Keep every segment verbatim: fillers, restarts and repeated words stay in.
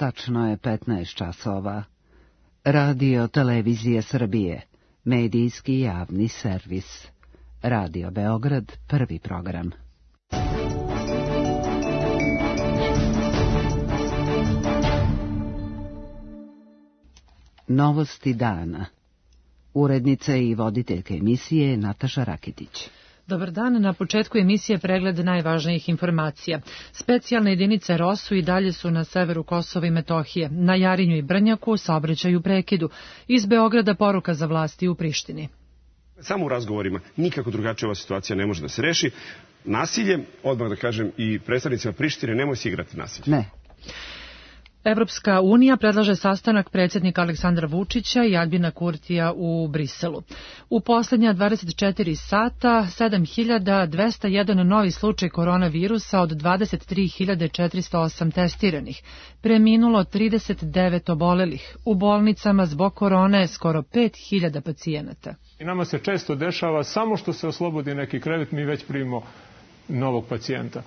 tačno je petnaest časova. Radio Televizije Srbije, medijski javni servis. Radio Beograd, prvi program. Novosti dana. Urednica i voditeljka emisije Nataša Rakitić. Dobar dan, na početku emisije pregled najvažnijih informacija. Specijalne jedinice R O S U i dalje su na severu Kosova i Metohije. Na Jarinju i Brnjaku saobraćaj u prekidu. Iz Beograda poruka za vlasti u Prištini. Samo u razgovorima, nikako drugačije ova situacija ne može da se reši. Nasilje, odmah da kažem i predstavnicima Prištine, nemoj se igrati nasilje. Ne. Evropska unija predlaže sastanak predsjednika Aleksandra Vučića i Albina Kurtija u Briselu. U posljednja dvadeset četiri sata sedam hiljada dvesta jedan novi slučaj koronavirusa od dvadeset tri hiljade četiristo osam testiranih. Preminulo trideset devet obolelih. U bolnicama zbog korone skoro pet hiljada pacijenata. I nama se često dešava samo što se oslobodi neki krevet, mi već primimo novog pacijenta.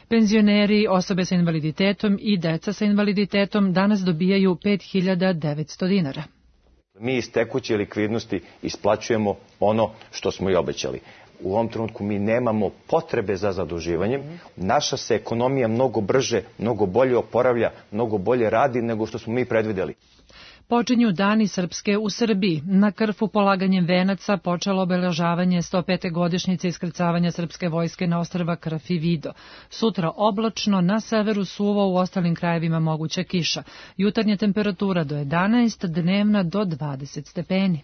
Penzioneri, osobe sa invaliditetom i deca sa invaliditetom danas dobijaju pet hiljada devetsto dinara. Mi iz tekuće likvidnosti isplaćujemo ono što smo i obećali. U ovom trenutku mi nemamo potrebe za zaduživanjem. Naša se ekonomija mnogo brže, mnogo bolje oporavlja, mnogo bolje radi nego što smo mi predvideli. Počinju dani Srpske u Srbiji. Na Krfu polaganjem venaca počelo obeležavanje sto pete godišnjice iskrcavanja srpske vojske na ostrva Krf i Vido. Sutra oblačno, na severu suvo, u ostalim krajevima moguća kiša. Jutarnja temperatura do jedanaest, dnevna do dvadeset stepeni.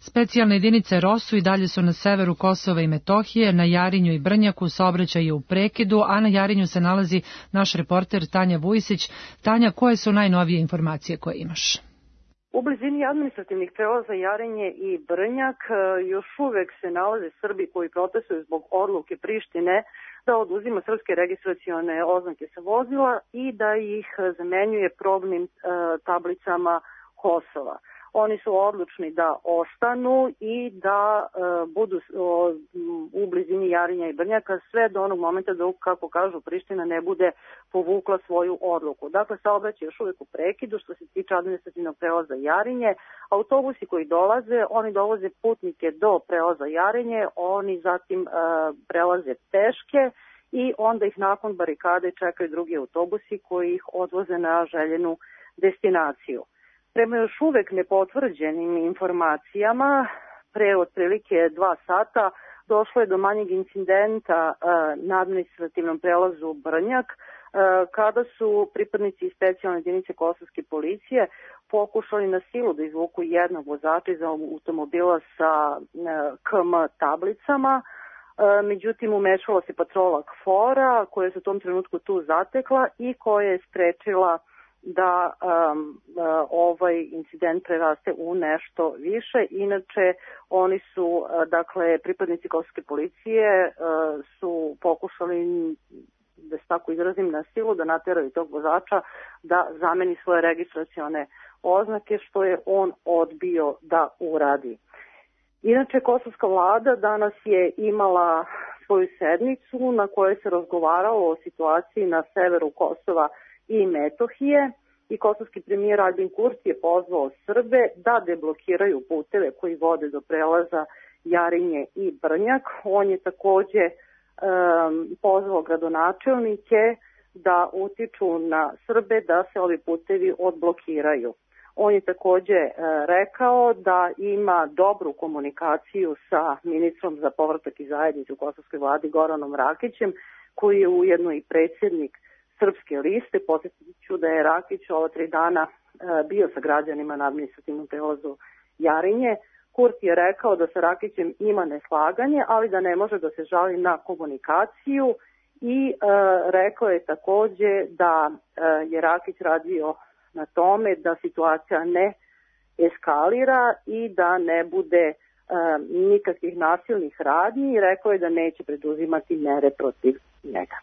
Specijalne jedinice R O S U i dalje su na severu Kosova i Metohije, na Jarinju i Brnjaku saobraćaj je u prekidu, a na Jarinju se nalazi naš reporter Tanja Vujsić. Tanja, koje su najnovije informacije koje imaš? U blizini administrativnih prelaza Jarinje i Brnjak još uvek se nalaze Srbi koji protestuju zbog odluke Prištine da oduzima srpske registracione oznake sa vozila i da ih zamenjuje probnim e, tablicama Kosova. Oni su odlučni da ostanu i da e, budu o, u blizini Jarinja i Brnjaka sve do onog momenta dok, kako kažu, Priština ne bude povukla svoju odluku. Dakle, saobraćaj još uvijek u prekidu što se tiče administrativnog prelaza Jarinje. Autobusi koji dolaze, oni dovoze putnike do prelaza Jarinje, oni zatim e, prelaze peške i onda ih nakon barikade čekaju drugi autobusi koji ih odvoze na željenu destinaciju. Prema još uvek nepotvrđenim informacijama, pre otprilike dva sata došlo je do manjeg incidenta e, na administrativnom prelazu Brnjak, e, kada su pripadnici specijalne jedinice kosovske policije pokušali na silu da izvuku jednog vozača iz automobila sa e, K M tablicama. E, međutim, umešala se patrola KFOR-a koja se u tom trenutku tu zatekla i koja je sprečila da um, uh, ovaj incident preraste u nešto više. Inače, oni su, uh, dakle, pripadnici kosovske policije uh, su pokušali, da se tako izrazim, na silu da nateraju tog vozača da zameni svoje registracione oznake, što je on odbio da uradi. Inače, kosovska vlada danas je imala svoju sednicu na kojoj se razgovaralo o situaciji na severu Kosova i Metohije i kosovski premijer Albin Kurti je pozvao Srbe da deblokiraju puteve koji vode do prelaza Jarinje i Brnjak. On je takođe um, pozvao gradonačelnike da utiču na Srbe da se ovi putevi odblokiraju. On je takođe e, rekao da ima dobru komunikaciju sa ministrom za povratak i zajednicu u kosovskoj vladi Goranom Rakićem, koji je ujedno i predsjednik Srpske liste. Podsjetit ću da je Rakić ova tri dana e, bio sa građanima na administrativnom prelazu Jarinje. Kurti je rekao da sa Rakićem ima neslaganje, ali da ne može da se žali na komunikaciju i e, rekao je takođe da e, je Rakić radio na tome da situacija ne eskalira i da ne bude e, nikakvih nasilnih radnji i rekao je da neće preduzimati mere protiv njega.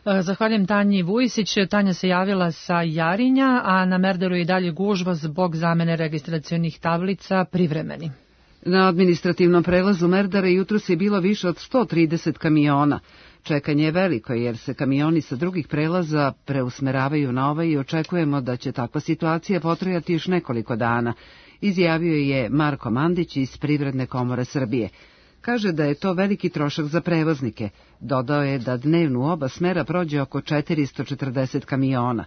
Zahvaljujem Tanji Vujsić. Tanja se javila sa Jarinja, a na Merderu je i dalje gužva zbog zamene registracionih tablica privremeni. Na administrativnom prelazu Merdare jutros je bilo više od sto trideset kamiona. Čekanje je veliko jer se kamioni sa drugih prelaza preusmeravaju na ovaj i očekujemo da će takva situacija potrajati još nekoliko dana, izjavio je Marko Mandić iz Privredne komore Srbije. Kaže da je to veliki trošak za prevoznike. Dodao je da dnevno u oba smera prođe oko četiristo četrdeset kamiona.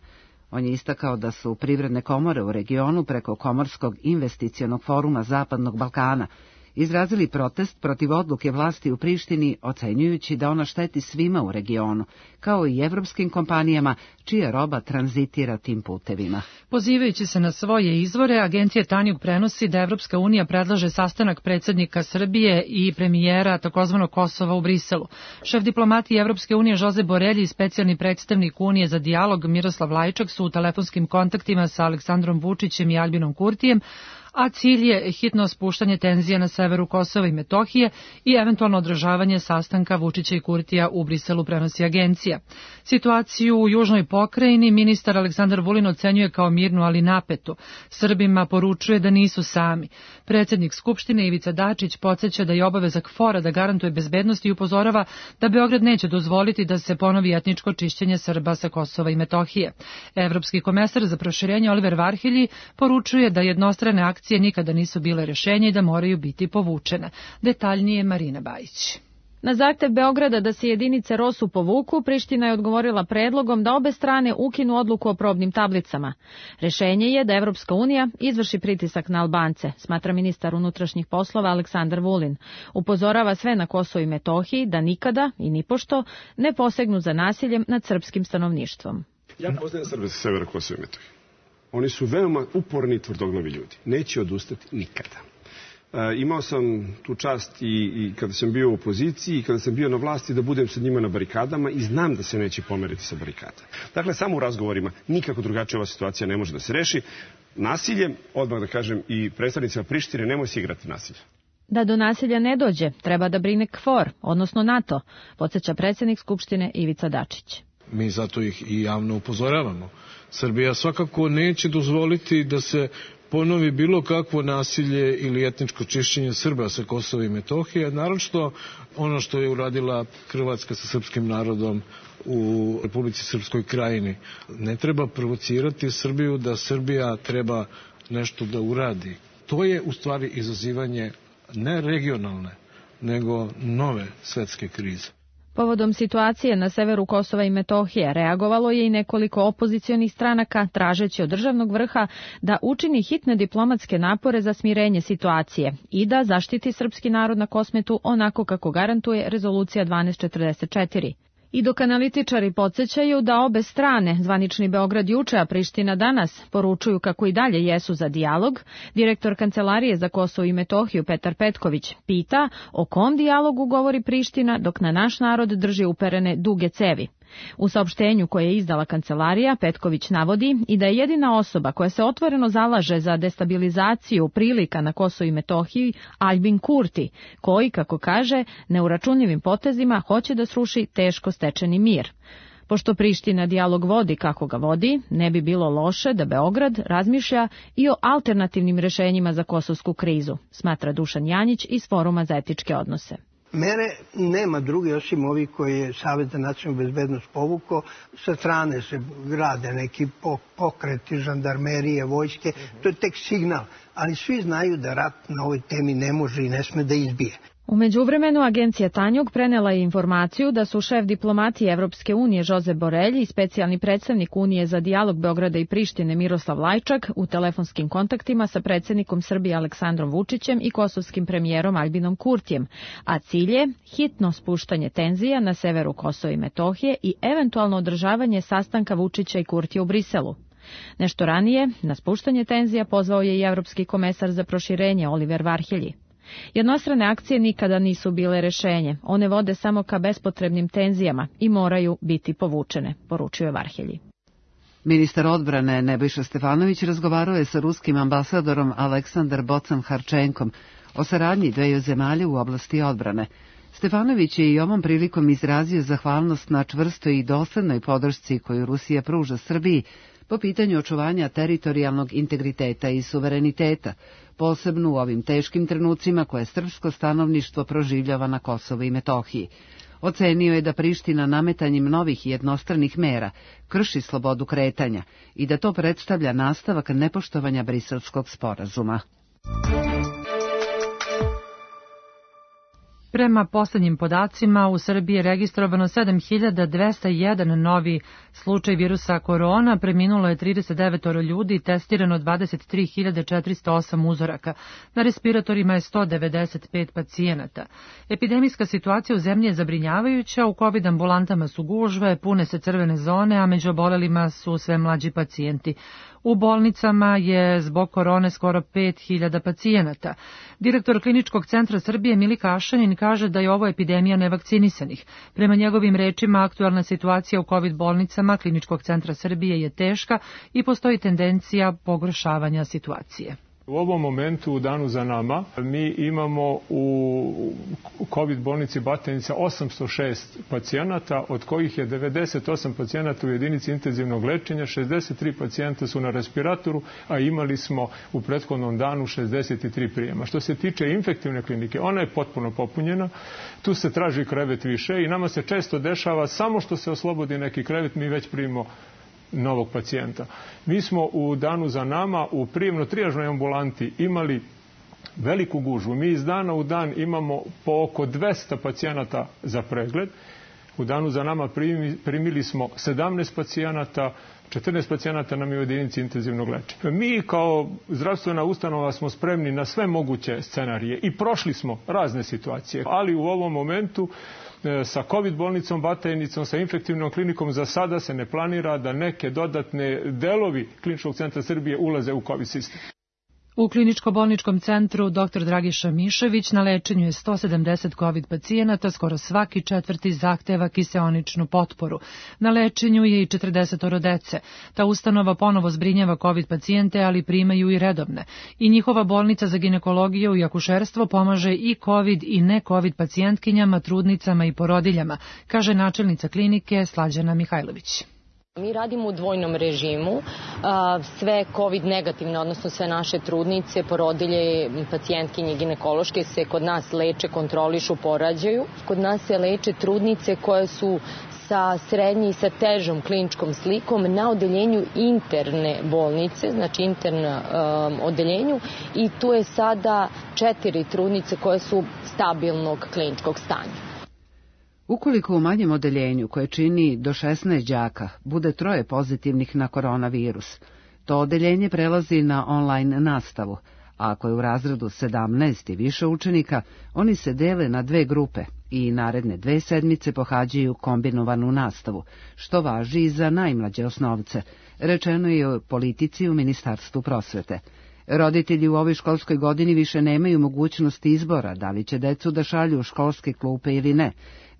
On je istakao da su privredne komore u regionu preko Komorskog investicionog foruma Zapadnog Balkana izrazili protest protiv odluke vlasti u Prištini, ocenjujući da ona šteti svima u regionu, kao i evropskim kompanijama čija roba tranzitira tim putevima. Pozivajući se na svoje izvore, agencija Tanjug prenosi da Evropska unija predlaže sastanak predsjednika Srbije i premijera takozvanog Kosova u Briselu. Šef diplomatije Evropske unije Josep Borelji i specijalni predstavnik Unije za dijalog Miroslav Lajčak su u telefonskim kontaktima sa Aleksandrom Vučićem i Albinom Kurtijem, a cilj je hitno spuštanje tenzija na severu Kosova i Metohije i eventualno održavanje sastanka Vučića i Kurtija u Briselu, prenosi agencija. Situaciju u južnoj pokrajini ministar Aleksandar Vulin ocenjuje kao mirnu, ali napetu. Srbima poručuje da nisu sami. Predsjednik Skupštine Ivica Dačić podsjeća da je obaveza K F O R-a da garantuje bezbednost i upozorava da Beograd neće dozvoliti da se ponovi etničko čišćenje Srba sa Kosova i Metohije. Evropski komesar za proširenje Oliver Varhelji poručuje da jednostrane akcije nikada nisu bile rješenje i da moraju biti povučene. Detaljnije Marina Bajić. Na zahtev Beograda da se jedinice ROSU povuku, Priština je odgovorila predlogom da obe strane ukinu odluku o probnim tablicama. Rešenje je da Evropska unija izvrši pritisak na Albance, smatra ministar unutrašnjih poslova Aleksandar Vulin. Upozorava sve na Kosovu i Metohiji da nikada i nipošto ne posegnu za nasiljem nad srpskim stanovništvom. Ja poznajem Srbe sa severa Kosova i Metohije. Oni su veoma uporni i tvrdoglavi ljudi. Neće odustati nikada. E, imao sam tu čast i, i kada sam bio u opoziciji i kada sam bio na vlasti da budem sa njima na barikadama i znam da se neće pomeriti sa barikada. Dakle, samo u razgovorima nikako drugačija ova situacija ne može da se reši. Nasilje, odmah da kažem i predstavnicima Prištine, nemoj se igrati nasilje. Da do nasilja ne dođe, treba da brine K F O R, odnosno NATO, podsjeća predsjednik Skupštine Ivica Dačić. Mi zato ih i javno upozoravamo. Srbija svakako neće dozvoliti da se ponovi bilo kakvo nasilje ili etničko čišćenje Srba sa Kosova i Metohije, naročito ono što je uradila Hrvatska sa srpskim narodom u Republici Srpskoj Krajini. Ne treba provocirati Srbiju da Srbija treba nešto da uradi. To je u stvari izazivanje ne regionalne, nego nove svetske krize. Povodom situacije na severu Kosova i Metohije reagovalo je i nekoliko opozicionih stranaka tražeći od državnog vrha da učini hitne diplomatske napore za smirenje situacije i da zaštiti srpski narod na Kosmetu onako kako garantuje rezolucija dvanaest četrdeset četiri. I dok analitičari podsjećaju da obe strane, zvanični Beograd juče, a Priština danas, poručuju kako i dalje jesu za dijalog, direktor Kancelarije za Kosovo i Metohiju Petar Petković pita o kom dijalogu govori Priština dok na naš narod drži uperene duge cevi. U saopštenju koje je izdala Kancelarija, Petković navodi i da je jedina osoba koja se otvoreno zalaže za destabilizaciju prilika na Kosovu i Metohiji Albin Kurti, koji, kako kaže, neuračunljivim potezima hoće da sruši teško stečeni mir. Pošto Priština dijalog vodi kako ga vodi, ne bi bilo loše da Beograd razmišlja i o alternativnim rešenjima za kosovsku krizu, smatra Dušan Janjić iz Foruma za etičke odnose. Mere nema druge osim ovih koji je Savet za nacionalnu bezbednost povukao. Sa strane se grade neki pokreti, žandarmerije, vojske. To je tek signal. Ali svi znaju da rat na ovoj temi ne može i ne sme da izbije. U međuvremenu agencija Tanjug prenela je informaciju da su šef diplomatije Evropske unije Josep Borelji i specijalni predstavnik Unije za dijalog Beograda i Prištine Miroslav Lajčak u telefonskim kontaktima sa predsjednikom Srbije Aleksandrom Vučićem i kosovskim premijerom Albinom Kurtijem, a cilj je hitno spuštanje tenzija na severu Kosova i Metohije i eventualno održavanje sastanka Vučića i Kurtija u Briselu. Nešto ranije, na spuštanje tenzija pozvao je i Evropski komesar za proširenje Oliver Varhelji. Jednostrane akcije nikada nisu bile rešenje, one vode samo ka bespotrebnim tenzijama i moraju biti povučene, poručuje Varhelji. Ministar odbrane Nebojša Stefanović razgovarao je sa ruskim ambasadorom Aleksandar Bocan Harčenkom o saradnji dveju zemalja u oblasti odbrane. Stefanović je i ovom prilikom izrazio zahvalnost na čvrstoj i doslednoj podršci koju Rusija pruža Srbiji po pitanju očuvanja teritorijalnog integriteta i suvereniteta, posebno u ovim teškim trenucima koje srpsko stanovništvo proživljava na Kosovu i Metohiji. Ocenio je da Priština nametanjem novih jednostranih mera krši slobodu kretanja i da to predstavlja nastavak nepoštovanja Briselskog sporazuma. Prema poslednjim podacima, u Srbiji je registrovano sedam hiljada dvesta jedan novi slučaj virusa korona, preminulo je trideset devet ljudi, testirano dvadeset tri hiljade četiristo osam uzoraka. Na respiratorima je sto devedeset pet pacijenata. Epidemijska situacija u zemlji je zabrinjavajuća, u COVID ambulantama su gužve, pune se crvene zone, a među obolelima su sve mlađi pacijenti. U bolnicama je zbog korone skoro pet hiljada pacijenata. Direktor Kliničkog centra Srbije Mili Kašanin kaže da je ovo epidemija nevakcinisanih. Prema njegovim rečima, aktualna situacija u COVID bolnicama Kliničkog centra Srbije je teška i postoji tendencija pogoršavanja situacije. U ovom momentu, u danu za nama, mi imamo u COVID bolnici Batajnica osamsto šest pacijenata, od kojih je devedeset osam pacijenata u jedinici intenzivnog lečenja, šezdeset tri pacijenta su na respiratoru, a imali smo u prethodnom danu šezdeset tri prijema. Što se tiče infektivne klinike, ona je potpuno popunjena, tu se traži krevet više i nama se često dešava samo što se oslobodi neki krevet, mi već primimo novog pacijenta. Mi smo u danu za nama u prijemno-trijažnoj ambulanti imali veliku gužvu. Mi iz dana u dan imamo po oko dvesta pacijenata za pregled. U danu za nama primili smo sedamnaest pacijenata, četrnaest pacijenata nam je u jedinici intenzivnog lečenja. Mi kao zdravstvena ustanova smo spremni na sve moguće scenarije i prošli smo razne situacije, ali u ovom momentu sa COVID bolnicom Batajnicom, sa infektivnom klinikom za sada se ne planira da neke dodatne delovi Kliničkog centra Srbije ulaze u COVID sistem. U kliničko-bolničkom centru doktor Dragiša Mišević na lečenju je sto sedamdeset COVID pacijenata, skoro svaki četvrti zahteva kiseoničnu potporu. Na lečenju je i četrdeset dece. Ta ustanova ponovo zbrinjava COVID pacijente, ali primaju i redovne. I njihova bolnica za ginekologiju i akušerstvo pomaže i COVID i ne COVID pacijentkinjama, trudnicama i porodiljama, kaže načelnica klinike Slađana Mihajlović. Mi radimo u dvojnom režimu, sve COVID negativne, odnosno sve naše trudnice, porodilje, pacijentkinje ginekološke se kod nas leče, kontrolišu, porađaju. Kod nas se leče trudnice koje su sa srednje i sa težom kliničkom slikom na odeljenju interne bolnice, znači internom odeljenju, i tu je sada četiri trudnice koje su stabilnog kliničkog stanja. Ukoliko u manjem odeljenju, koje čini do šesnaest đaka, bude troje pozitivnih na koronavirus, to odeljenje prelazi na online nastavu, a ako je u razredu sedamnaest i više učenika, oni se dele na dve grupe i naredne dve sedmice pohađaju kombinovanu nastavu, što važi i za najmlađe osnovce, rečeno je o politici u Ministarstvu prosvete. Roditelji u ovoj školskoj godini više nemaju mogućnosti izbora da li će decu da šalju u školske klupe ili ne,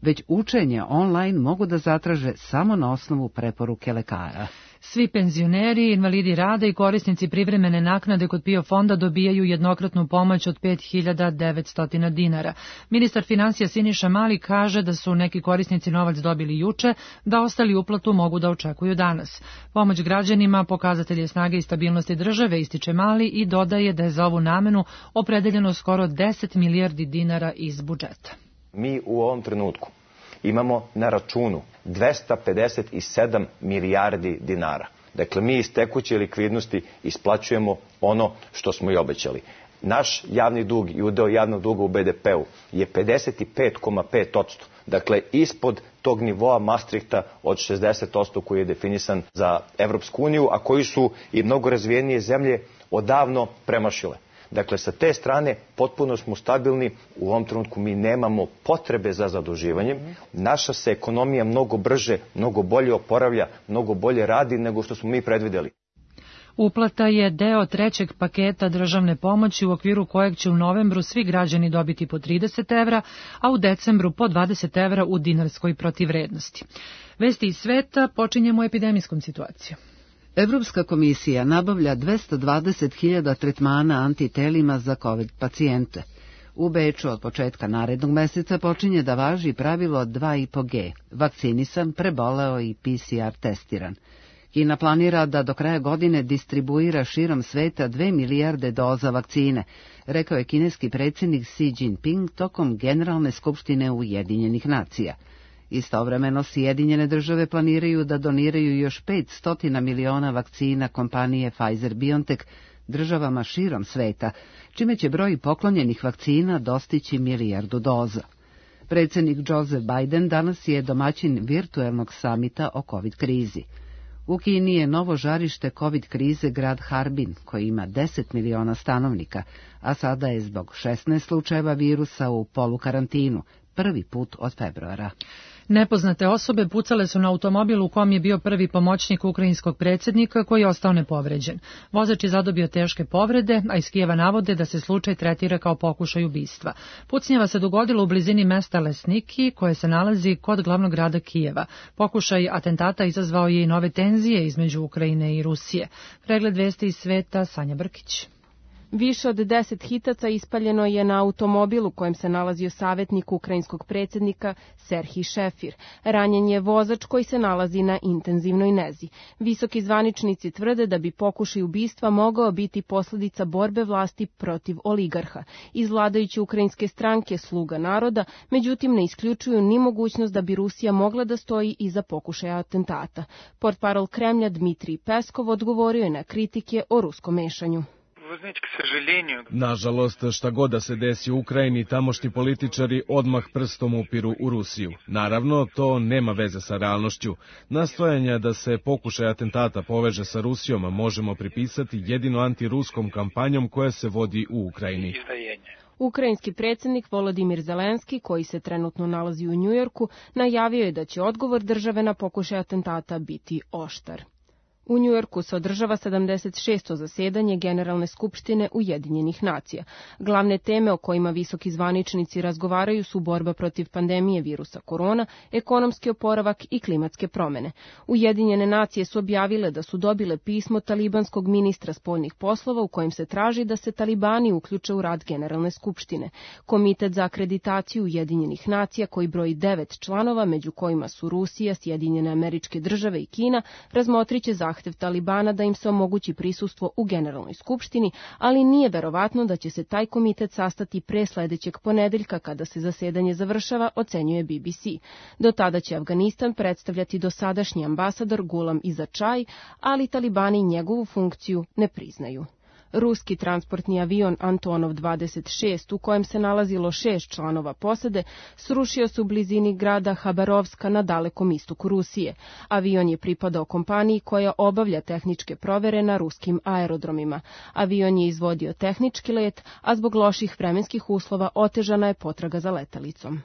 već učenje online mogu da zatraže samo na osnovu preporuke lekara. Svi penzioneri, invalidi rada i korisnici privremene naknade kod PIO fonda dobijaju jednokratnu pomoć od pet hiljada devetsto dinara. Ministar finansija Siniša Mali kaže da su neki korisnici novac dobili juče, da ostali uplatu mogu da očekuju danas. Pomoć građanima pokazatelj je snage i stabilnosti države, ističe Mali, i dodaje da je za ovu namenu opredeljeno skoro deset milijardi dinara iz budžeta. Mi u ovom trenutku imamo na računu dvesta pedeset sedam milijardi dinara. Dakle, mi iz tekuće likvidnosti isplaćujemo ono što smo i obećali. Naš javni dug i udeo javnog duga u be de pe u je pedeset pet zarez pet posto. Dakle, ispod tog nivoa Maastrichta od šezdeset posto koji je definisan za Evropsku uniju, a koji su i mnogo razvijenije zemlje odavno premašile. Dakle, sa te strane potpuno smo stabilni, u ovom trenutku mi nemamo potrebe za zaduživanjem, naša se ekonomija mnogo brže, mnogo bolje oporavlja, mnogo bolje radi nego što smo mi predvideli. Uplata je deo trećeg paketa državne pomoći u okviru kojeg će u novembru svi građani dobiti po trideset evra, a u decembru po dvadeset evra u dinarskoj protivvrednosti. Vesti iz sveta, počinjemo epidemijskom situacijom. Evropska komisija nabavlja dvesta dvadeset hiljada tretmana antitelima za COVID pacijente. U Beču od početka narednog meseca počinje da važi pravilo dva i po G, vakcinisan, preboleo i P C R testiran. Kina planira da do kraja godine distribuira širom sveta dve milijarde doza vakcine, rekao je kineski predsjednik Xi Jinping tokom Generalne skupštine Ujedinjenih nacija. Istovremeno Sjedinjene države planiraju da doniraju još petsto miliona vakcina kompanije Pfizer-BioNTech državama širom sveta, čime će broj poklonjenih vakcina dostići milijardu doza. Predsjednik Joseph Biden danas je domaćin virtuelnog samita o COVID krizi. U Kini je novo žarište COVID krize grad Harbin, koji ima deset miliona stanovnika, a sada je zbog šesnaest slučajeva virusa u polukarantinu, prvi put od februara. Nepoznate osobe pucale su na automobil u kom je bio prvi pomoćnik ukrajinskog predsjednika koji je ostao nepovređen. Vozač je zadobio teške povrede, a iz Kijeva navode da se slučaj tretira kao pokušaj ubistva. Pucnjava se dogodilo u blizini mesta Lesniki, koje se nalazi kod glavnog grada Kijeva. Pokušaj atentata izazvao je i nove tenzije između Ukrajine i Rusije. Pregled vesti iz sveta, Sanja Brkić. Više od deset hitaca ispaljeno je na automobilu u kojem se nalazio savjetnik ukrajinskog predsjednika Serhij Šefir. Ranjen je vozač koji se nalazi na intenzivnoj nezi. Visoki zvaničnici tvrde da bi pokušaj ubistva mogao biti posljedica borbe vlasti protiv oligarha. Iz vladajuće ukrajinske stranke Sluga naroda, međutim ne isključuju ni mogućnost da bi Rusija mogla da stoji iza pokušaja atentata. Portparol Kremlja Dmitrij Peskov odgovorio je na kritike o ruskom mešanju. Nažalost, šta god da se desi u Ukrajini, tamošnji političari odmah prstom upiru u Rusiju. Naravno, to nema veze sa realnošću. Nastojanja da se pokušaj atentata poveže sa Rusijom možemo pripisati jedino antiruskom kampanjom koja se vodi u Ukrajini. Ukrajinski predsjednik Volodimir Zelenski, koji se trenutno nalazi u Njujorku, najavio je da će odgovor države na pokušaj atentata biti oštar. U Njujorku se održava sedamdeset šesto zasedanje Generalne skupštine Ujedinjenih nacija. Glavne teme o kojima visoki zvaničnici razgovaraju su borba protiv pandemije virusa korona, ekonomski oporavak i klimatske promene. Ujedinjene nacije su objavile da su dobile pismo talibanskog ministra spoljnih poslova u kojem se traži da se talibani uključe u rad Generalne skupštine. Komitet za akreditaciju Ujedinjenih nacija, koji broji devet članova, među kojima su Rusija, Sjedinjene Američke Države i Kina, razmotriće zahtjev Talibana da im se omogući prisustvo u Generalnoj skupštini, ali nije verovatno da će se taj komitet sastati pre sledećeg ponedeljka kada se zasedanje završava, ocenjuje B B C. Do tada će Afganistan predstavljati dosadašnji ambasador Gulam Izačaj, ali Talibani njegovu funkciju ne priznaju. Ruski transportni avion Antonov dvadeset šest, u kojem se nalazilo šest članova posade, srušio se u blizini grada Habarovska na dalekom istoku Rusije. Avion je pripadao kompaniji koja obavlja tehničke provere na ruskim aerodromima. Avion je izvodio tehnički let, a zbog loših vremenskih uslova otežana je potraga za letalicom.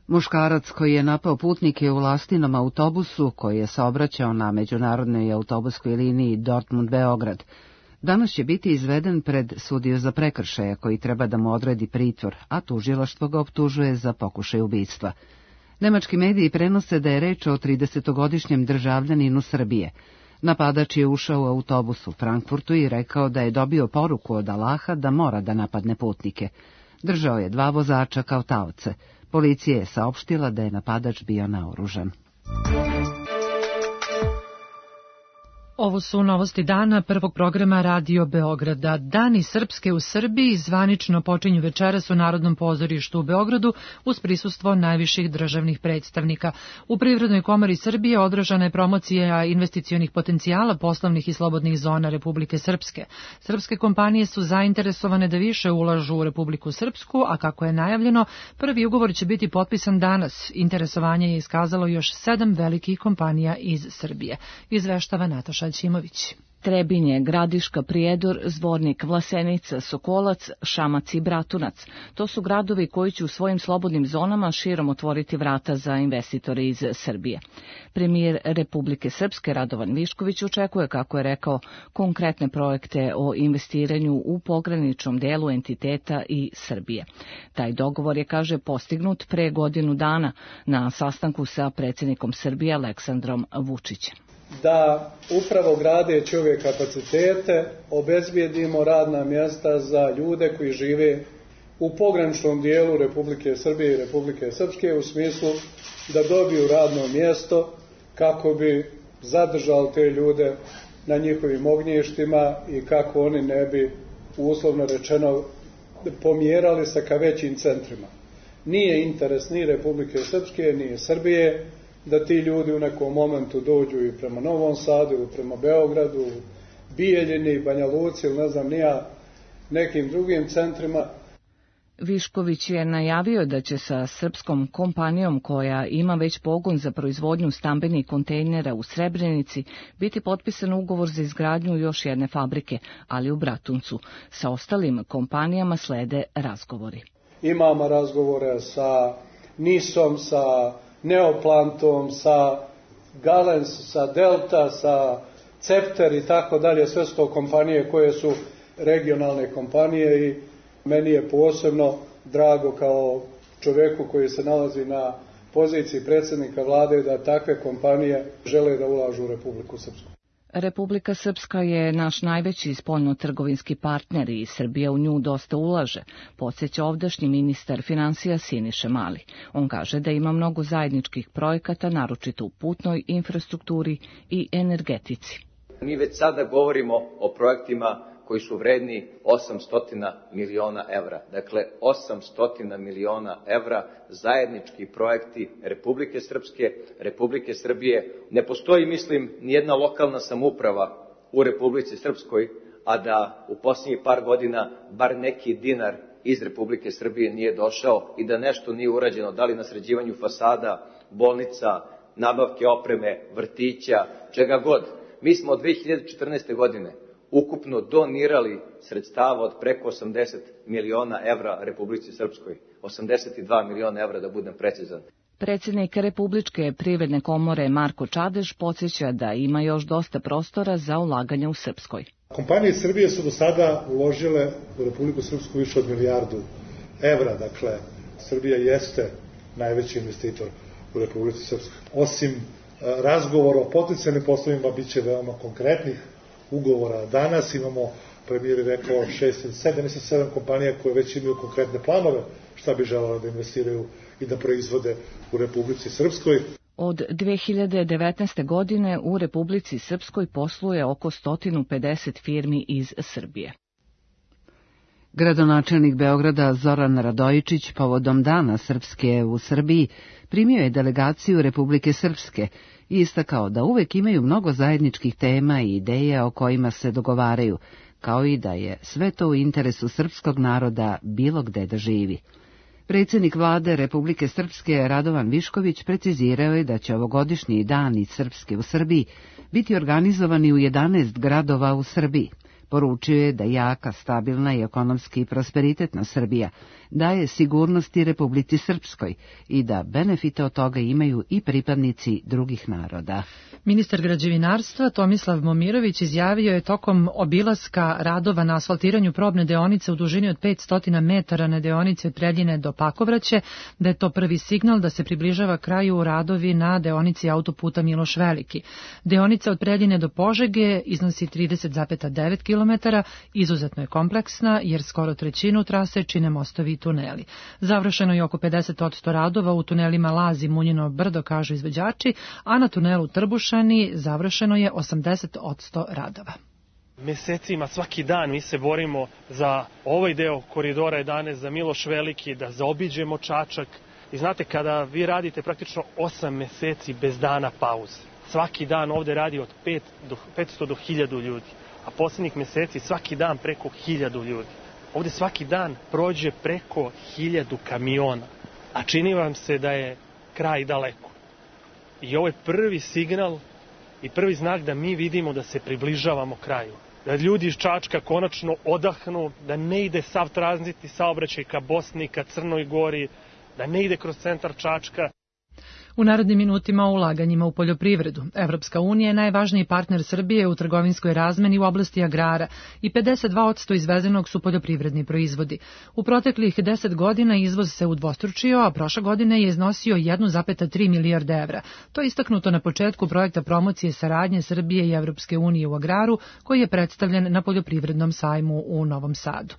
Muškarac koji je napao putnike u lastinom autobusu koji je saobraćao na međunarodnoj autobuskoj liniji Dortmund-Beograd, danas će biti izveden pred sudiju za prekršaje koji treba da mu odredi pritvor, a tužilaštvo ga optužuje za pokušaj ubistva. Nemački mediji prenose da je reč o tridesetogodišnjem državljaninu Srbije. Napadač je ušao u autobus u Frankfurtu i rekao da je dobio poruku od Allaha da mora da napadne putnike. Držao je dva vozača kao taoce. Policija je saopštila da je napadač bio naoružan. Ovo su novosti dana prvog programa Radio Beograda. Dani Srpske u Srbiji zvanično počinju večeras u Narodnom pozorištu u Beogradu uz prisustvo najviših državnih predstavnika. U Privrednoj komori Srbije održana je promocija investicionih potencijala poslovnih i slobodnih zona Republike Srpske. Srpske kompanije su zainteresovane da više ulažu u Republiku Srpsku, a kako je najavljeno, prvi ugovor će biti potpisan danas. Interesovanje je iskazalo još sedam velikih kompanija iz Srbije. Izveštava Nataša Ćimović. Trebinje, Gradiška, Prijedor, Zvornik, Vlasenica, Sokolac, Šamac i Bratunac. To su gradovi koji će u svojim slobodnim zonama širom otvoriti vrata za investitore iz Srbije. Premijer Republike Srpske Radovan Višković očekuje, kako je rekao, konkretne projekte o investiranju u pograničnom delu entiteta i Srbije. Taj dogovor je, kaže, postignut pre godinu dana na sastanku sa predsjednikom Srbije Aleksandrom Vučićem. Da upravo gradeći ove kapacitete obezbijedimo radna mjesta za ljude koji žive u pograničnom dijelu Republike Srbije i Republike Srpske u smislu da dobiju radno mjesto kako bi zadržali te ljude na njihovim ognjištima i kako oni ne bi, uslovno rečeno, pomjerali se ka većim centrima. Nije interes ni Republike Srpske, ni Srbije da ti ljudi u nekom momentu dođu i prema Novom Sadu, ili prema Beogradu, Bijeljini, Banja Luci ili ne znam nija nekim drugim centrima. Višković je najavio da će sa srpskom kompanijom koja ima već pogon za proizvodnju stambenih kontejnera u Srebrenici biti potpisan ugovor za izgradnju još jedne fabrike, ali u Bratuncu. Sa ostalim kompanijama slede razgovori. Imamo razgovore sa Nisom, sa Neoplantom, sa Galens, sa Delta, sa Cepter i tako dalje, sve su to kompanije koje su regionalne kompanije i meni je posebno drago kao čovjeku koji se nalazi na poziciji predsjednika vlade da takve kompanije žele da ulažu u Republiku Srpsku. Republika Srpska je naš najveći spoljno-trgovinski partner i Srbija u nju dosta ulaže, podsjeća ovdašnji ministar finansija Siniša Mali. On kaže da ima mnogo zajedničkih projekata, naročito u putnoj infrastrukturi i energetici. Mi već sada govorimo o projektima koji su vredni osamsto miliona evra. Dakle, osamsto miliona evra zajednički projekti Republike Srpske, Republike Srbije. Ne postoji, mislim, nijedna lokalna samouprava u Republici Srpskoj, a da u posljednjih par godina bar neki dinar iz Republike Srbije nije došao i da nešto nije urađeno, da li na sređivanju fasada, bolnica, nabavke opreme, vrtića, čega god. Mi smo od dve hiljade četrnaeste. godine ukupno donirali sredstava od preko osamdeset miliona evra Republici Srpskoj. osamdeset dva miliona evra, da budem precizan. Predsjednik Republičke privredne komore Marko Čadež podsjeća da ima još dosta prostora za ulaganje u Srpskoj. Kompanije Srbije su do sada uložile u Republiku Srpsku više od milijardu evra. Dakle, Srbija jeste najveći investitor u Republici Srpskoj. Osim razgovora o potencijalnim poslovima, bit će veoma konkretnih ugovora. Danas imamo, premijer je rekao, šest, sedam, mislim sedam kompanija koje već imaju konkretne planove šta bi želele da investiraju i da proizvode u Republici Srpskoj. Od dve hiljade devetnaeste. godine u Republici Srpskoj posluje oko sto pedeset firmi iz Srbije. Gradonačelnik Beograda Zoran Radojičić povodom Dana Srpske u Srbiji primio je delegaciju Republike Srpske i istakao da uvek imaju mnogo zajedničkih tema i ideja o kojima se dogovaraju, kao i da je sve to u interesu srpskog naroda bilo gde da živi. Predsjednik vlade Republike Srpske Radovan Višković precizirao je da će ovogodišnji dani Srpske u Srbiji biti organizovani u jedanaest gradova u Srbiji. Poručio je da jaka, stabilna i ekonomski prosperitetna Srbija daje sigurnosti Republici Srpskoj i da benefite od toga imaju i pripadnici drugih naroda. Ministar građevinarstva Tomislav Momirović izjavio je tokom obilaska radova na asfaltiranju probne deonice u dužini od petsto metara na deonici od Preljine do Pakovraće, da je to prvi signal da se približava kraju radovi na deonici autoputa Miloš Veliki. Deonica od Preljine do Požege iznosi trideset zarez devet kilometara, izuzetno je kompleksna jer skoro trećinu trase čine mostovi i tuneli. Završeno je oko pedeset posto radova u tunelima Laz i Munjino brdo, kažu izvođači, a na tunelu Trbušani završeno je osamdeset posto radova. Mesecima, svaki dan mi se borimo za ovaj deo koridora jedanaest, za Miloš Veliki, da zaobiđemo Čačak. I znate, kada vi radite praktično osam meseci bez dana pauze, svaki dan ovde radi od petsto do hiljadu ljudi, a posljednjih meseci svaki dan preko hiljadu ljudi. Ovde svaki dan prođe preko hiljadu kamiona, a čini vam se da je kraj daleko. I ovo je prvi signal i prvi znak da mi vidimo da se približavamo kraju. Da ljudi iz Čačka konačno odahnu, da ne ide sav tranzitni saobraćaj ka Bosni, ka Crnoj Gori, da ne ide kroz centar Čačka. U narednim minutima o ulaganjima u poljoprivredu. Evropska unija je najvažniji partner Srbije u trgovinskoj razmeni u oblasti agrara i pedeset dva posto izvezenog su poljoprivredni proizvodi. U proteklih deset godina izvoz se udvostručio, a prošle godine je iznosio jedan zarez tri milijarde evra. To je istaknuto na početku projekta promocije saradnje Srbije i Evropske unije u agraru, koji je predstavljen na poljoprivrednom sajmu u Novom Sadu.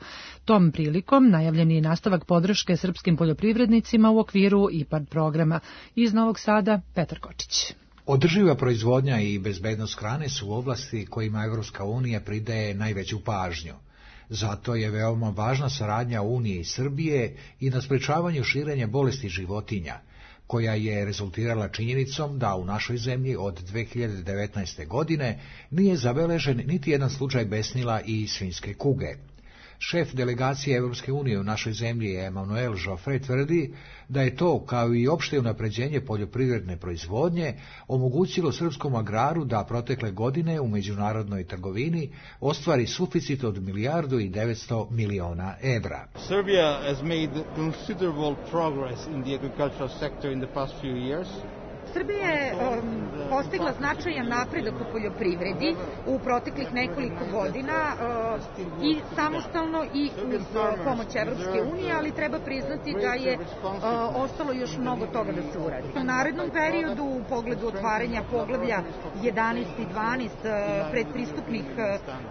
Tom prilikom najavljen je nastavak podrške srpskim poljoprivrednicima u okviru IPARD programa. Iz Novog Sada, Petar Kočić. Održiva proizvodnja i bezbednost hrane su oblasti kojima Evropska unija pridaje najveću pažnju. Zato je veoma važna saradnja Unije i Srbije i na sprečavanju širenja bolesti životinja, koja je rezultirala činjenicom da u našoj zemlji od dve hiljade devetnaeste. godine nije zabeležen niti jedan slučaj besnila i svinjske kuge. Šef delegacije Evropske unije u našoj zemlji Emanuel Joffre tvrdi da je to, kao i opšte unapređenje poljoprivredne proizvodnje, omogućilo srpskom agraru da protekle godine u međunarodnoj trgovini ostvari suficit od milijardu i devetsto miliona evra. Serbia has made considerable progress in the agricultural sector in the past few years. Srbija je um, postigla značajan napredak u poljoprivredi u proteklih nekoliko godina uh, i samostalno i uz uh, pomoć Evropske unije, ali treba priznati da je uh, ostalo još mnogo toga da se uradi. U narednom periodu u pogledu otvaranja poglavlja jedanaest i dvanaest uh, predpristupnih uh,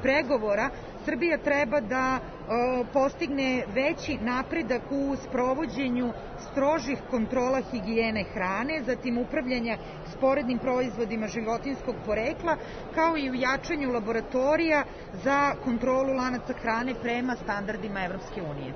pregovora, Srbija treba da uh, postigne veći napredak u sprovođenju strožih kontrola higijene hrane, zatim upravljanja sporednim proizvodima životinjskog porekla, kao i u jačanju laboratorija za kontrolu lanaca hrane prema standardima Evropske unije.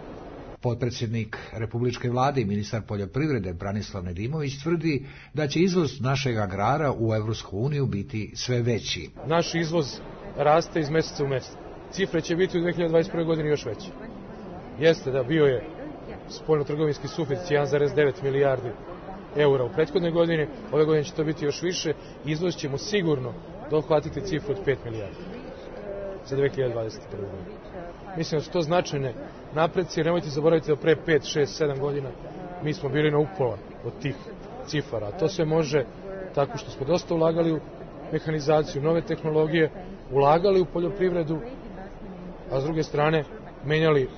Potpredsjednik Republičke vlade i ministar poljoprivrede Branislav Nedimović tvrdi da će izvoz našeg agrara u Evropsku uniju biti sve veći. Naš izvoz raste iz meseca u mesec. Cifre će biti u dve hiljade dvadeset prve. godini još veće. Jeste da bio je spoljno-trgovinski suficit jedan zarez devet milijardi eura u prethodnoj godini, ove godine će to biti još više, izvoz ćemo sigurno dohvatiti cifru od pet milijardi za dve hiljade dvadeset prve. godinu. Mislim da su to značajne napreci, jer nemojte zaboraviti da pre pet, šest, sedam godina mi smo bili na upola od tih cifara. A to se može tako što smo dosta ulagali u mehanizaciju, nove tehnologije, ulagali u poljoprivredu, a s druge strane menjali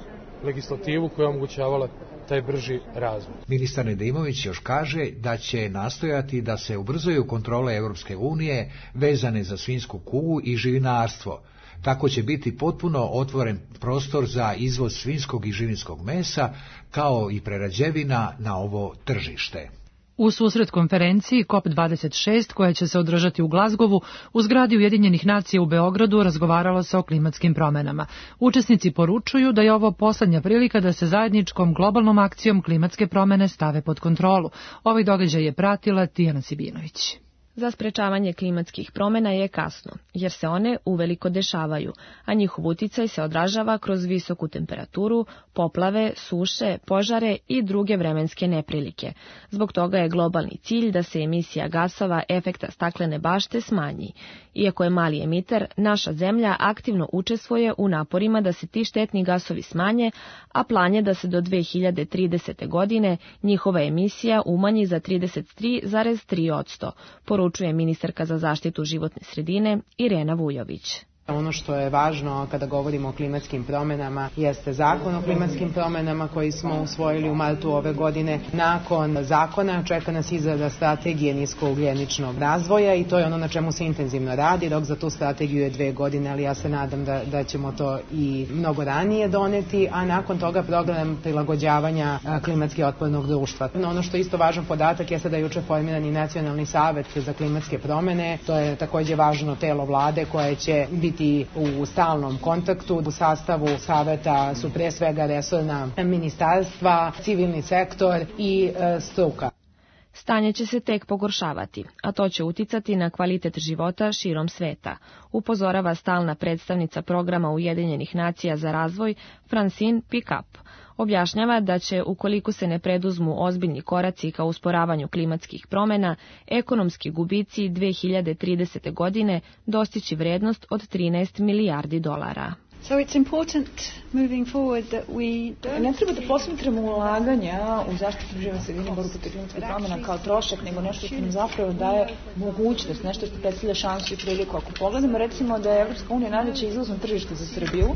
legislativu koja je omogućavala taj brži razvoj. Ministar Nedimović još kaže da će nastojati da se ubrzaju kontrole Evropske unije vezane za svinjsku kugu i živinarstvo. Tako će biti potpuno otvoren prostor za izvoz svinjskog i živinskog mesa, kao i prerađevina na ovo tržište. U susret konferenciji COP dvadeset šest, koja će se održati u Glazgovu, u zgradi Ujedinjenih nacija u Beogradu razgovaralo se o klimatskim promenama. Učesnici poručuju da je ovo poslednja prilika da se zajedničkom globalnom akcijom klimatske promene stave pod kontrolu. Ovaj događaj je pratila Tijana Sibinović. Za sprečavanje klimatskih promena je kasno, jer se one uveliko dešavaju, a njihov uticaj se odražava kroz visoku temperaturu, poplave, suše, požare i druge vremenske neprilike. Zbog toga je globalni cilj da se emisija gasova efekta staklene bašte smanji. Iako je mali emiter, naša zemlja aktivno učestvuje u naporima da se ti štetni gasovi smanje, a plan je da se do dve hiljade tridesete. godine njihova emisija umanji za trideset tri zarez tri posto, poručuje ministarka za zaštitu životne sredine Irena Vujović. Ono što je važno kada govorimo o klimatskim promenama jeste zakon o klimatskim promenama koji smo usvojili u martu ove godine. Nakon zakona čeka nas izrada strategije niskougljeničnog razvoja i to je ono na čemu se intenzivno radi. Rok za tu strategiju je dve godine, ali ja se nadam da, da ćemo to i mnogo ranije doneti, a nakon toga program prilagođavanja klimatski otpornog društva. Ono što je isto važan podatak jeste da je juče formiran i Nacionalni savet za klimatske promene. To je takođe važno telo vlade koje će biti u stalnom kontaktu. U sastavu saveta su pre svega resorna ministarstva, civilni sektor i e, struka. Stanje će se tek pogoršavati, a to će uticati na kvalitet života širom sveta, upozorava stalna predstavnica programa Ujedinjenih nacija za razvoj Francine Pickup. Objašnjava da će, ukoliko se ne preduzmu ozbiljni koraci ka usporavanju klimatskih promena, ekonomski gubici dve hiljade tridesete. godine dostići vrednost od trinaest milijardi dolara. So it's important moving forward that we ne treba da posmatramo ulaganja u zaštitu životne sredine, borbu protiv klimatskih promena kao trošak, nego nešto što nam zapravo daje mogućnost, nešto što predstavlja šansu i priliku. Ako pogledamo recimo da je Evropska unija najveće izvozno tržište za Srbiju,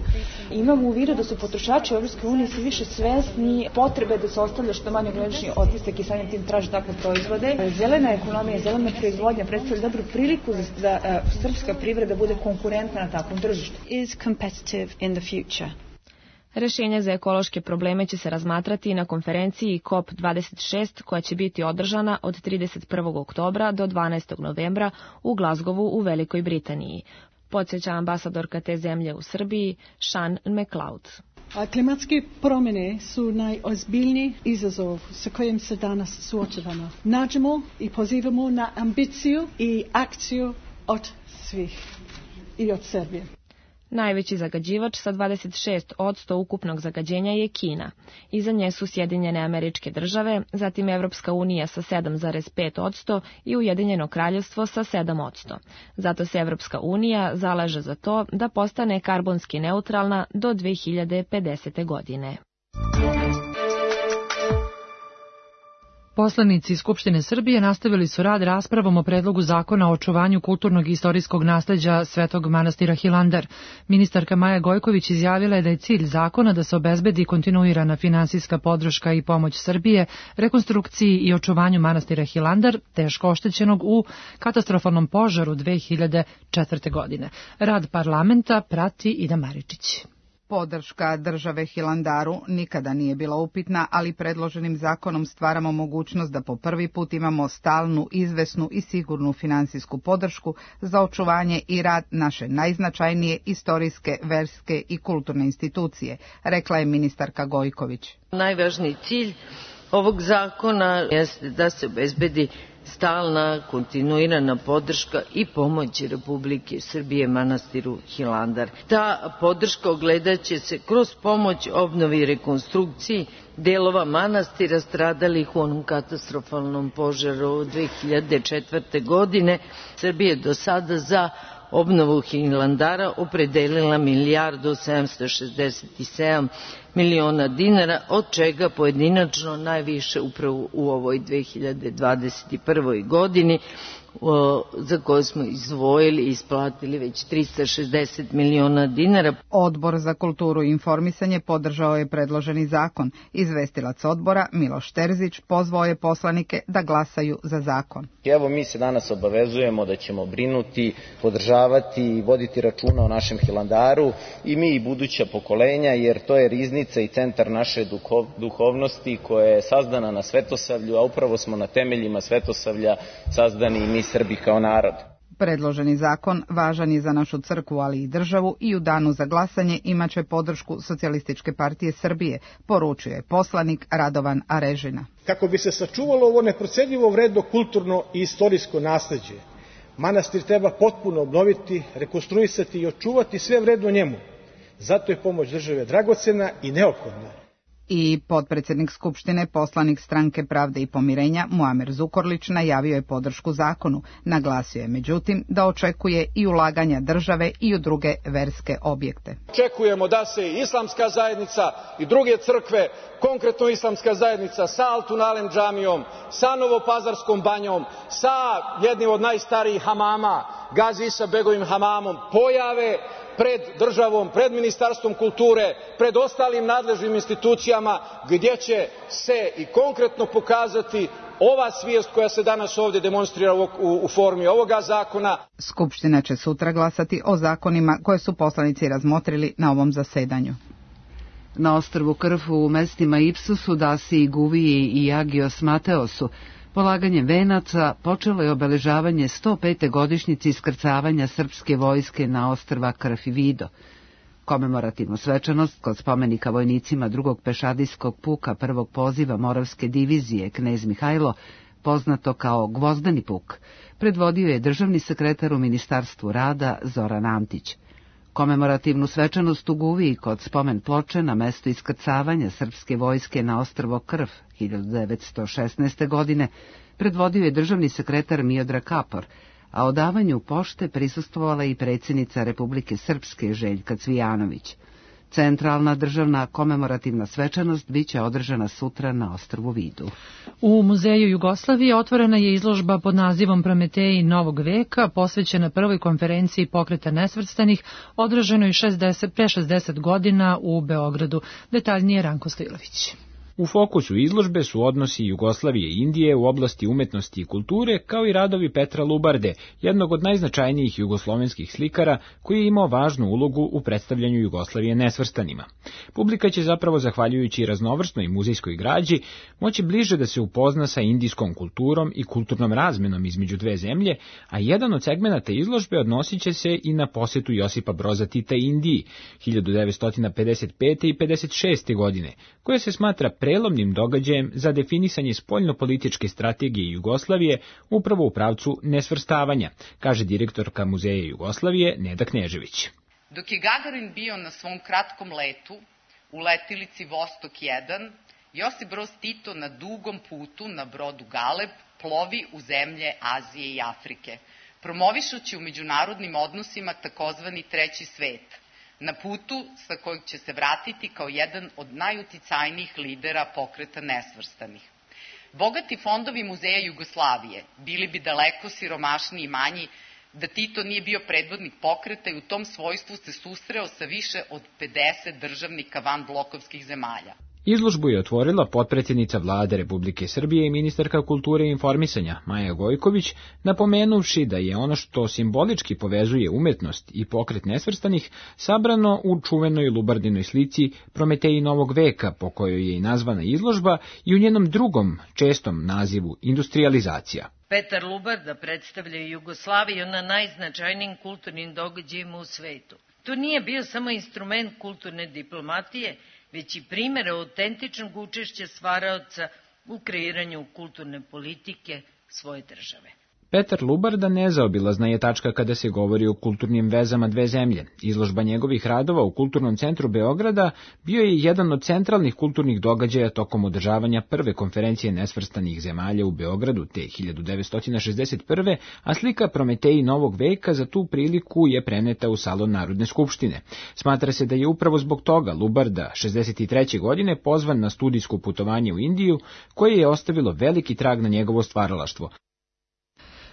imamo u vidu da su potrošači u Evropskoj uniji sve više svesni potrebe da se ostavlja što manje ugljični otisak i samim tim traži takve proizvode. Zelena ekonomija, zelena proizvodnja predstavlja dobru priliku da uh, srpska privreda bude konkurentna na takvom tržištu. Is competitive in the future. Rešenja za ekološke probleme će se razmatrati na konferenciji C O P dvadeset šest koja će biti održana od trideset prvog oktobra do dvanaestog novembra u Glazgovu u Velikoj Britaniji. Podsjeća ambasadorka te zemlje u Srbiji, Sean McLeod. A klimatske promjene su najozbiljniji izazov sa kojim se danas suočavamo. Nađemo i pozivamo na ambiciju i akciju od svih i od Srbije. Najveći zagađivač sa dvadeset šest posto ukupnog zagađenja je Kina. Iza nje su Sjedinjene Američke Države, zatim Evropska unija sa sedam zarez pet posto i Ujedinjeno Kraljevstvo sa sedam posto. Zato se Evropska unija zalaže za to da postane karbonski neutralna do dve hiljade pedesete. godine. Poslanici iz Skupštine Srbije nastavili su rad raspravom o predlogu zakona o očuvanju kulturnog i istorijskog nasleđa Svetog manastira Hilandar. Ministarka Maja Gojković izjavila je da je cilj zakona da se obezbedi kontinuirana finansijska podrška i pomoć Srbije, rekonstrukciji i očuvanju manastira Hilandar, teško oštećenog u katastrofalnom požaru dve hiljade četvrte. godine. Rad parlamenta prati Ida Maričić. Podrška države Hilandaru nikada nije bila upitna, ali predloženim zakonom stvaramo mogućnost da po prvi put imamo stalnu, izvesnu i sigurnu finansijsku podršku za očuvanje i rad naše najznačajnije istorijske, verske i kulturne institucije, rekla je ministarka Gojković. Najvažniji cilj ovog zakona jeste da se obezbedi stalna, kontinuirana podrška i pomoć Republike Srbije manastiru Hilandar. Ta podrška ogledaće se kroz pomoć obnovi i rekonstrukciji delova manastira stradalih u onom katastrofalnom požaru dve hiljade četvrte. godine. Srbija je do sada za obnovu Hilandara opredelila milijardu sedamsto šezdeset sedam miliona dinara, od čega pojedinačno najviše upravo u ovoj dve hiljade dvadeset prvoj. godini, za koje smo izdvojili i isplatili već trista šezdeset miliona dinara. Odbor za kulturu i informisanje podržao je predloženi zakon. Izvestilac odbora Miloš Terzić pozvao je poslanike da glasaju za zakon. Evo, mi se danas obavezujemo da ćemo brinuti, podržavati i voditi računa o našem Hilandaru, i mi i buduća pokolenja, jer to je riznica i centar naše duhov, duhovnosti koja je sazdana na svetosavlju, a upravo smo na temeljima svetosavlja sazdani i mi Srbi kao narod. Predloženi zakon važan je za našu crkvu, ali i državu, i u danu za glasanje imaće podršku Socijalističke partije Srbije, poručuje poslanik Radovan Arežina. Kako bi se sačuvalo ovo neprocenjivo vredno kulturno i istorijsko nasleđe, manastir treba potpuno obnoviti, rekonstruisati i očuvati sve vredno njemu. Zato je pomoć države dragocena i neophodna. I potpredsjednik Skupštine, poslanik Stranke pravde i pomirenja Muamer Zukorlić najavio je podršku zakonu. Naglasio je međutim da očekuje i ulaganja države i u druge verske objekte. Očekujemo da se islamska zajednica i druge crkve, konkretno islamska zajednica sa Altun-alem džamijom, sa Novopazarskom banjom, sa jednim od najstarijih hamama, Gazi Isa Begovim hamamom, pojave pred državom, pred Ministarstvom kulture, pred ostalim nadležnim institucijama, gdje će se i konkretno pokazati ova svijest koja se danas ovdje demonstrira u, u, u formi ovoga zakona. Skupština će sutra glasati o zakonima koje su poslanici razmotrili na ovom zasedanju. Na ostrvu Krfu u mestima Ipsusu, Dasi, Guviji i Agios Mateosu polaganjem venaca počelo je obeležavanje sto pete godišnjice iskrcavanja srpske vojske na ostrva Krf i Vido. Komemorativnu svečanost kod spomenika vojnicima drugog pešadijskog puka prvog poziva Moravske divizije Knez Mihajlo, poznato kao Gvozdeni puk, predvodio je državni sekretar u Ministarstvu rada Zoran Antić. Komemorativnu svečanost u Guviji kod spomen ploče na mestu iskrcavanja srpske vojske na ostrvo Krf hiljadu devetsto šesnaeste. godine predvodio je državni sekretar Miodrag Kapor, a odavanju pošte prisustvovala i predsjednica Republike Srpske Željka Cvijanović. Centralna državna komemorativna svečanost biće održana sutra na ostrvu Vidu. U Muzeju Jugoslavije otvorena je izložba pod nazivom Prometeji novog veka, posvećena prvoj konferenciji Pokreta nesvrstanih, održanoj pre šezdeset godina u Beogradu. Detaljnije Ranko Stojilović. U fokusu izložbe su odnosi Jugoslavije i Indije u oblasti umetnosti i kulture, kao i radovi Petra Lubarde, jednog od najznačajnijih jugoslovenskih slikara, koji je imao važnu ulogu u predstavljanju Jugoslavije nesvrstanima. Publika će zapravo, zahvaljujući raznovrsnoj muzejskoj građi, moći bliže da se upozna sa indijskom kulturom i kulturnom razmenom između dve zemlje, a jedan od segmenata izložbe odnosit će se i na posetu Josipa Broza Tita Indiji hiljadu devetsto pedeset pete i pedeset šeste. godine, koja se smatra prelomnim događajem za definisanje spoljnopolitičke strategije Jugoslavije upravo u pravcu nesvrstavanja, kaže direktorka Muzeja Jugoslavije Neda Knežević. Dok je Gagarin bio na svom kratkom letu u letilici Vostok jedan, Josip Broz Tito na dugom putu na brodu Galeb plovi u zemlje Azije i Afrike, promovišući u međunarodnim odnosima takozvani treći svet, na putu sa kojeg će se vratiti kao jedan od najuticajnijih lidera pokreta nesvrstanih. Bogati fondovi Muzeja Jugoslavije bili bi daleko siromašniji i manji da Tito nije bio predvodnik pokreta i u tom svojstvu se susreo sa više od pedeset državnika van blokovskih zemalja. Izložbu je otvorila potpredsjednica Vlade Republike Srbije i ministarka kulture i informisanja Maja Gojković, napomenuvši da je ono što simbolički povezuje umetnost i pokret nesvrstanih sabrano u čuvenoj Lubardinoj slici Prometeji novog veka, po kojoj je i nazvana izložba, i u njenom drugom čestom nazivu Industrializacija. Petar Lubarda predstavlja Jugoslaviju na najznačajnijim kulturnim događajima u svetu. To nije bio samo instrument kulturne diplomatije, već i primjer autentičnog učešća stvaraoca u kreiranju kulturne politike svoje države. Petar Lubarda nezaobilazna je tačka kada se govori o kulturnim vezama dve zemlje. Izložba njegovih radova u Kulturnom centru Beograda bio je jedan od centralnih kulturnih događaja tokom održavanja prve konferencije nesvrstanih zemalja u Beogradu te hiljadu devetsto šezdeset prve. a slika Prometeji novog veka za tu priliku je preneta u salon Narodne skupštine. Smatra se da je upravo zbog toga Lubarda šezdeset treće. godine pozvan na studijsko putovanje u Indiju, koje je ostavilo veliki trag na njegovo stvaralaštvo.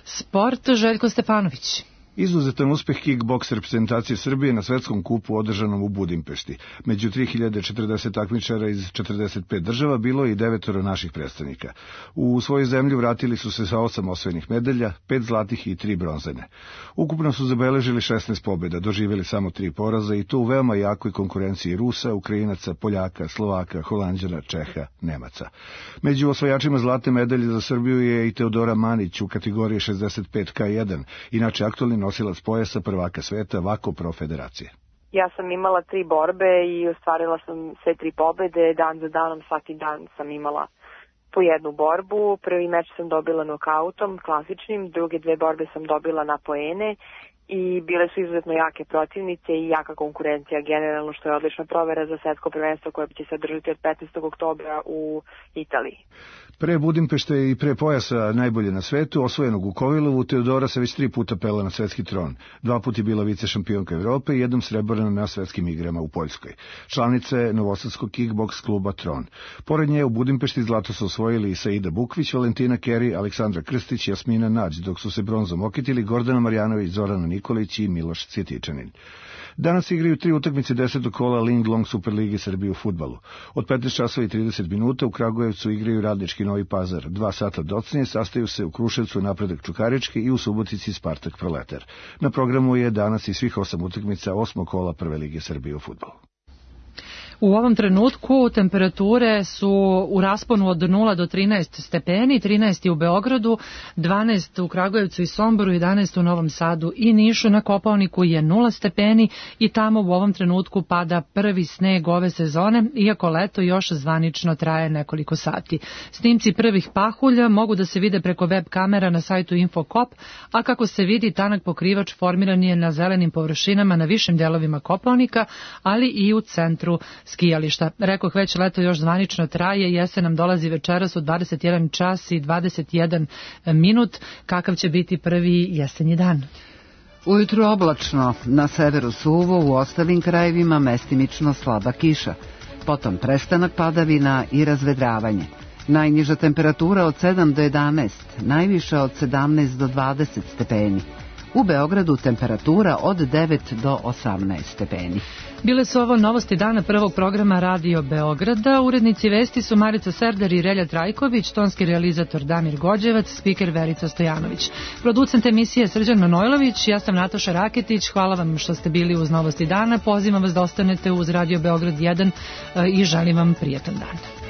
Sport, Željko Stefanović. Izuzetan uspeh kickboks reprezentacije Srbije na svetskom kupu održanom u Budimpešti. Među tri hiljade četrdeset takmičara iz četrdeset pet država bilo je i devetoro naših predstavnika. U svoju zemlju vratili su se sa osam osvojenih medalja, pet zlatih i tri bronzane. Ukupno su zabeležili šesnaest pobjeda, doživjeli samo tri poraza i to u veoma jakoj konkurenciji Rusa, Ukrajinaca, Poljaka, Slovaka, Holanđana, Čeha, Nemaca. Među osvajačima zlatne medalje za Srbiju je i Teodora Manić u kategoriji šezdeset pet ka jedan, inače aktualni nosilac pojasa prvaka sveta Vako Pro federacije. Ja sam imala tri borbe i ostvarila sam sve tri pobede, dan za danom, svaki dan sam imala po jednu borbu. Prvi meč sam dobila nokautom, klasičnim, druge dve borbe sam dobila na poene i bile su izuzetno jake protivnice i jaka konkurencija generalno, što je odlična provera za svetsko prvenstvo koje će se održati od petnaestog oktobra u Italiji. Pre Budimpešte i pre pojasa najbolje na svetu, osvojenog u Kovilovu, Teodora se već tri puta pela na svetski tron. Dva puta je bila vice šampionka Evrope i jednom srebrna na svetskim igrama u Poljskoj. Članica je novosadskog kickboks kluba Tron. Pored nje u Budimpešti zlato su osvojili i Saida Bukvić, Valentina Keri, Aleksandra Krstić i Jasmina Nađ, dok su se bronzom okitili Gordana Marjanović, Zorana Nikolić i Miloš Cvjetičanin. Danas igraju tri utakmice desetog kola Ling Long Superligi Srbije u fudbalu. Od petnaest časova i trideset minuta u Kragujevcu igraju Radnički Novi Pazar. Dva sata docnije sastaju se u Kruševcu Napredak Čukarički i u Subotici Spartak Proletar. Na programu je danas i svih osam utakmica osmog kola Prve lige Srbije u fudbalu. U ovom trenutku temperature su u rasponu od nula do trinaest stepeni, trinaest je u Beogradu, dvanaest u Kragujevcu i Somboru, jedanaest u Novom Sadu i Nišu. Na Kopaoniku je nula stepeni i tamo u ovom trenutku pada prvi sneg ove sezone, iako leto još zvanično traje nekoliko sati. Snimci prvih pahulja mogu da se vide preko web kamera na sajtu Infokop, a kako se vidi, tanak pokrivač formiran je na zelenim površinama na višim delovima Kopaonika, ali i u centru skijališta. Rekoh, već leto još zvanično traje, jesen nam dolazi večeras u dvadeset jedan čas i dvadeset jedan minut. Kakav će biti prvi jesenji dan? Ujutru oblačno, na severu suvo, u ostalim krajevima mestimično slaba kiša. Potom prestanak padavina i razvedravanje. Najniža temperatura od sedam do jedanaest, najviša od sedamnaest do dvadeset stepeni. U Beogradu temperatura od devet do osamnaest stepeni. Bile su ovo novosti dana prvog programa Radio Beograda. Urednici vesti su Marica Serdar i Relja Trajković, tonski realizator Damir Gođevac, spiker Verica Stojanović. Producent emisije Srđan Manojlović, ja sam Nataša Raketić. Hvala vam što ste bili uz novosti dana. Pozivam vas da ostanete uz Radio Beograd jedan i želim vam prijatan dan.